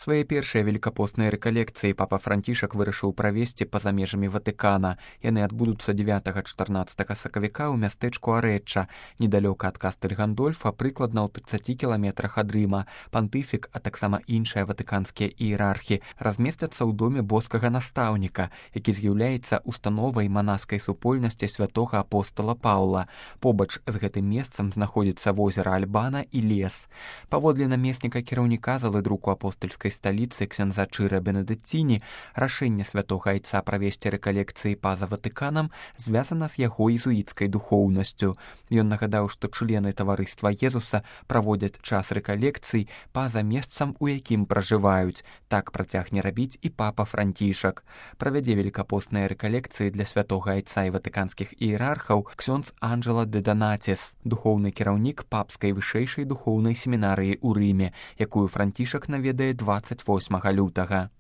Свае першыя велікапосныя рэкалекцыі папа Францішак вырашыў правесці па-за межамі Ватыкана. Яны адбудуцца 9-14 сакавіка ў мястэчку Арэчча, недалёка ад Кастэль Гандольфа, прыкладна ў 30 кіламетрах ад Рыма. Пантыфік, а таксама іншыя ватыканскія іерархі размесцяцца ў доме боскага настаўніка, які з'яўляецца установай манаскай супольнасці святога апостала Паўла. Побач з гэтым месцам знаходзіцца возера Альбана і лес. Паводле намесніка кіраўніка залы друку апостальскай сталіцы ксяндза Чыра Бенедыцціні, рашэнне святога айца правесці рэкалекцыі па-за Ватыканам звязана з яго езуіцкай духоўнасцю. Ён нагадаў, што члены таварыства Езуса праводзяць час рэкалекцый па-за месцам, у якім пражываюць. Так працягне рабіць і папа Францішак. Правядзе велікапосныя рэкалекцыі для святога айца і ватыканскіх іерархаў ксёндз Анджела де Донатис, духоўны кіраўнік папскай вышэйшай духоўнай семінарыі ў Рыме, якую Францішак наведае 28 лютага.